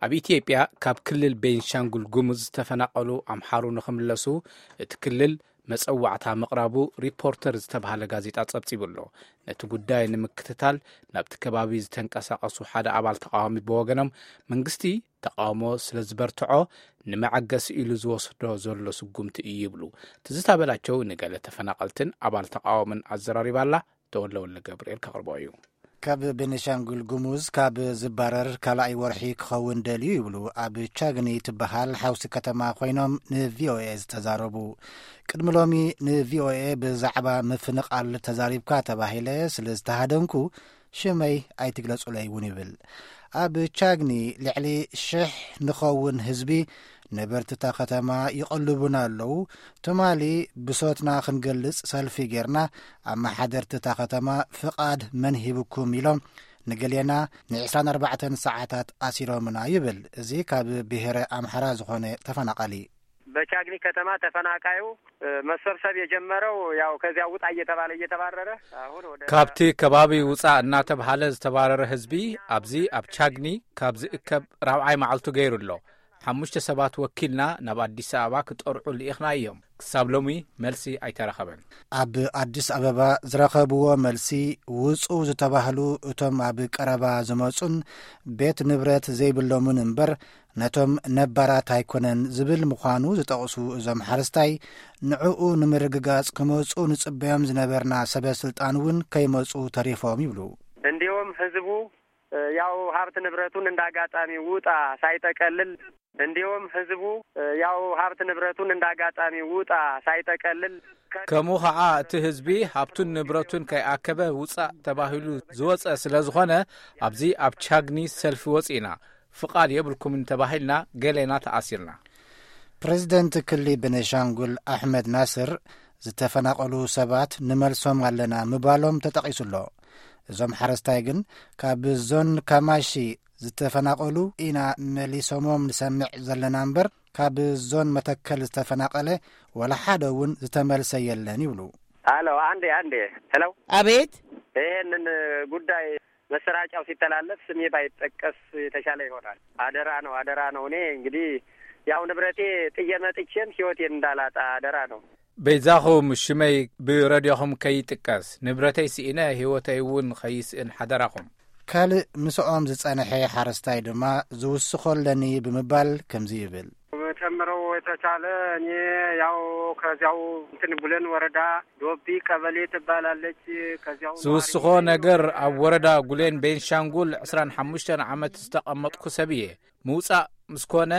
ኣብ ኢትዮጵያ ካብ ክልል ቤንሻንጉል ጉሙዝ ዝተፈናቐሉ ኣምሓሩ ንኽምለሱ እቲ ክልል መጸዋዕታ ምቕራቡ ሪፖርተር ዝተባህለ ጋዜጣ ጸብጺቡ ኣሎ። ነቲ ጉዳይ ንምክትታል ናብቲ ከባቢ ዝተንቀሳቐሱ ሓደ ኣባል ተቓዋሚ ብወገኖም፣ መንግስቲ ተቓውሞ ስለ ዝበርትዖ ንመዐገሲ ኢሉ ዝወስዶ ዘሎ ስጉምቲ እዩ ይብሉ። ትዝታ በላቸው ንገለ ተፈናቐልትን ኣባል ተቓውምን ኣዘራሪባላ። ተወልደ ወልደ ገብርኤል ከቕርቦ እዩ። ካብ ቤኒሻንጉል ጉሙዝ ካብ ዝባረር ካልኣይ ወርሒ ክኸውን ደልዩ ይብሉ ኣብ ቻግኒ ትበሃል ሓውሲ ከተማ ኮይኖም ንቪኦኤ ዝተዛረቡ። ቅድሚ ሎሚ ንቪኦኤ ብዛዕባ ምፍንቓል ተዛሪብካ ተባሂለ ስለ ዝተሃደንኩ ሽመይ ኣይትግለጹለይ እውን ይብል። ኣብ ቻግኒ ልዕሊ ሽሕ ንኸውን ህዝቢ ነበርቲ እታ ከተማ ይቐልቡና ኣለዉ። ትማሊ ብሶትና ክንገልጽ ሰልፊ ጌርና፣ ኣመሓደርቲ እታ ከተማ ፍቓድ መን ሂብኩም ኢሎም ንገሌና ን24 ሰዓታት ኣሲሮምና ይብል እዚ ካብ ብሔረ ኣምሓራ ዝኾነ ተፈናቓሊ። በቻግኒ ከተማ ተፈናቃዩ መሰብሰብ የጀመረው ያው ከዚያ ውጣ እየተባለ እየተባረረ አሁን ወደ ካብቲ ከባቢ ውጻእ እናተብሃለ ዝተባረረ ህዝቢ ኣብዚ ኣብ ቻግኒ ካብ ዝእከብ ራብዓይ መዓልቱ ገይሩ ኣሎ። ሓሙሽተ ሰባት ወኪልና ናብ ኣዲስ ኣበባ ክጠርዑ ልኢኽና እዮም። ክሳብ ሎሚ መልሲ ኣይተረኸበን። ኣብ ኣዲስ ኣበባ ዝረኸብዎ መልሲ ውጹ ዝተባህሉ እቶም ኣብ ቀረባ ዝመጹን ቤት ንብረት ዘይብሎምን እምበር ነቶም ነባራት ኣይኮነን ዝብል ምዃኑ ዝጠቕሱ እዞም ሓረስታይ፣ ንዕኡ ንምርግጋጽ ክመጹ ንጽበዮም ዝነበርና ሰበ ስልጣን እውን ከይመጹ ተሪፎም ይብሉ። እንዲሁም ህዝቡ ያው ሀብት ንብረቱን እንዳጋጣሚ ውጣ ሳይጠቀልል እንዲሁም ህዝቡ ያው ሀብት ንብረቱን እንዳጋጣሚ ውጣ ሳይጠቀልል ከምኡ ኸዓ እቲ ህዝቢ ሃብቱን ንብረቱን ከይኣከበ ውጻእ ተባሂሉ ዝወጸ ስለ ዝኾነ ኣብዚ ኣብ ቻግኒ ሰልፊ ወጺእና ፍቓድ የብልኩምን ተባሂልና ገሌና ተኣሲርና። ፕሬዝደንት ክሊ ቤኒሻንጉል ኣሕመድ ናስር ዝተፈናቐሉ ሰባት ንመልሶም ኣለና ምባሎም ተጠቒሱ ኣሎ። እዞም ሓረስታይ ግን ካብ ዞን ካማሺ ዝተፈናቐሉ ኢና መሊሶሞም ንሰምዕ ዘለና እምበር ካብ ዞን መተከል ዝተፈናቐለ ወላ ሓደ እውን ዝተመልሰ የለን ይብሉ። አሎ አንዴ አንዴ። ሄሎ አቤት። ይሄንን ጉዳይ መሰራጫው ሲተላለፍ ስሜ ባይጠቀስ የተሻለ ይሆናል። አደራ ነው አደራ ነው። እኔ እንግዲህ ያው ንብረቴ ጥዬ መጥቼም ህይወቴን እንዳላጣ አደራ ነው። በይዛኹም ሽመይ ብረድዮኹም ከይጥቀስ ንብረተይ ስኢነ ህይወተይ እውን ኸይስእን ሓደራኹም። ካልእ ምስኦም ዝጸንሐ ሓረስታይ ድማ ዝውስኾ ኣለኒ ብምባል ከምዚ ይብል። መጨመረው የተቻለ እኔ ያው ከዚያው እንትን ቡለን ወረዳ ዶቢ ቀበሌ ትባላለች። ከዚያው ዝውስኾ ነገር ኣብ ወረዳ ጉሌን ቤንሻንጉል ዕስራን ሓሙሽተን ዓመት ዝተቐመጥኩ ሰብ እየ። ምውጻእ ምስ ኮነ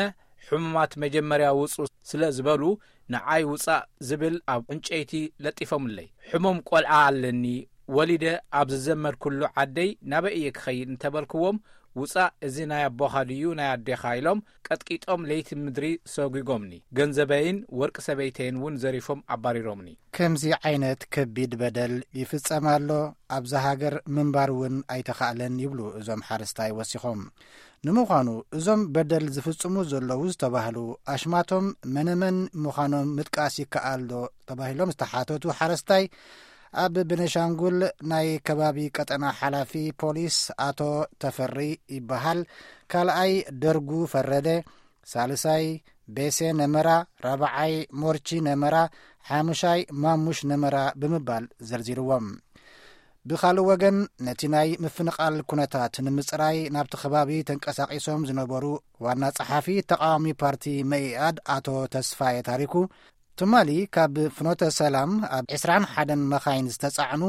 ሕሙማት መጀመርያ ውጹ ስለ ዝበሉ ንዓይ ውጻእ ዝብል ኣብ ዕንጨይቲ ለጢፎምለይ። ሕሙም ቆልዓ ኣለኒ ወሊደ ኣብ ዝዘመድኩሉ ዓደይ ናበይ እየ ክኸይድ እንተበልክዎም ውጻእ እዚ ናይ ኣቦኻ ድዩ ናይ ኣዴኻ ኢሎም ቀጥቂጦም ለይቲ ምድሪ ሰጒጎምኒ። ገንዘበይን ወርቂ ሰበይተይን እውን ዘሪፎም ኣባሪሮምኒ። ከምዚ ዓይነት ከቢድ በደል ይፍጸም ኣሎ፣ ኣብዛ ሃገር ምንባር እውን ኣይተኻእለን ይብሉ እዞም ሓረስታይ ወሲኾም። ንምዃኑ እዞም በደል ዝፍጽሙ ዘለዉ ዝተባህሉ ኣሽማቶም መነመን ምዃኖም ምጥቃስ ይከኣል ዶ ተባሂሎም ዝተሓተቱ ሓረስታይ ኣብ ቤኒሻንጉል ናይ ከባቢ ቀጠና ሓላፊ ፖሊስ ኣቶ ተፈሪ ይበሃል፣ ካልኣይ ደርጉ ፈረደ፣ ሳልሳይ ቤሴ ነመራ፣ ራብዓይ ሞርቺ ነመራ፣ ሓሙሻይ ማሙሽ ነመራ ብምባል ዘርዚርዎም። ብኻልእ ወገን ነቲ ናይ ምፍንቓል ኩነታት ንምጽራይ ናብቲ ከባቢ ተንቀሳቒሶም ዝነበሩ ዋና ጸሓፊ ተቓዋሚ ፓርቲ መኢኣድ ኣቶ ተስፋየ ታሪኩ ትማሊ ካብ ፍኖተ ሰላም ኣብ ዕስራን ሓደን መኻይን ዝተጻዕኑ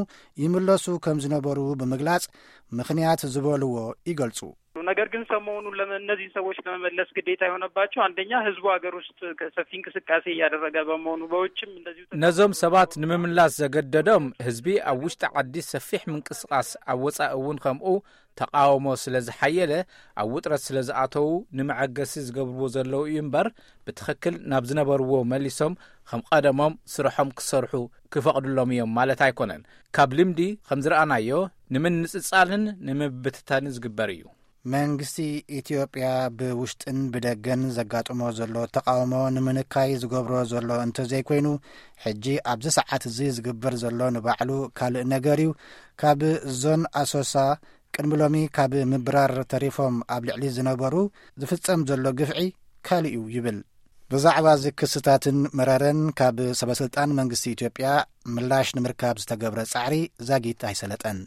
ይምለሱ ከም ዝነበሩ ብምግላጽ ምኽንያት ዝበልዎ ይገልጹ። ነገር ግን ሰሞኑን ለመ- እነዚህ ሰዎች ለመመለስ ግዴታ የሆነባቸው አንደኛ ህዝቡ ሀገር ውስጥ ሰፊ እንቅስቃሴ እያደረገ በመሆኑ በውጭም እንደዚሁ ነዞም ሰባት ንምምላስ ዘገደዶም ህዝቢ ኣብ ውሽጢ ዓዲ ሰፊሕ ምንቅስቃስ ኣብ ወጻኢ እውን ከምኡ ተቃውሞ ስለ ዝሓየለ ኣብ ውጥረት ስለ ዝኣተዉ ንመዐገሲ ዝገብርዎ ዘለዉ እዩ እምበር ብትኽክል ናብ ዝነበርዎ መሊሶም ከም ቀደሞም ስርሖም ክሰርሑ ክፈቕድሎም እዮም ማለት ኣይኮነን። ካብ ልምዲ ከም ዝረኣናዮ ንምንጽጻልን ንምብትታንን ዝግበር እዩ። መንግስቲ ኢትዮጵያ ብውሽጥን ብደገን ዘጋጥሞ ዘሎ ተቃውሞ ንምንካይ ዝገብሮ ዘሎ እንተዘይኮይኑ ሕጂ ኣብዚ ሰዓት እዚ ዝግበር ዘሎ ንባዕሉ ካልእ ነገር እዩ። ካብ ዞን ኣሶሳ ቅድሚ ሎሚ ካብ ምብራር ተሪፎም ኣብ ልዕሊ ዝነበሩ ዝፍጸም ዘሎ ግፍዒ ካልእ እዩ ይብል። ብዛዕባ እዚ ክስታትን መረረን ካብ ሰበስልጣን መንግስቲ ኢትዮጵያ ምላሽ ንምርካብ ዝተገብረ ጻዕሪ ዛጊት ኣይሰለጠን።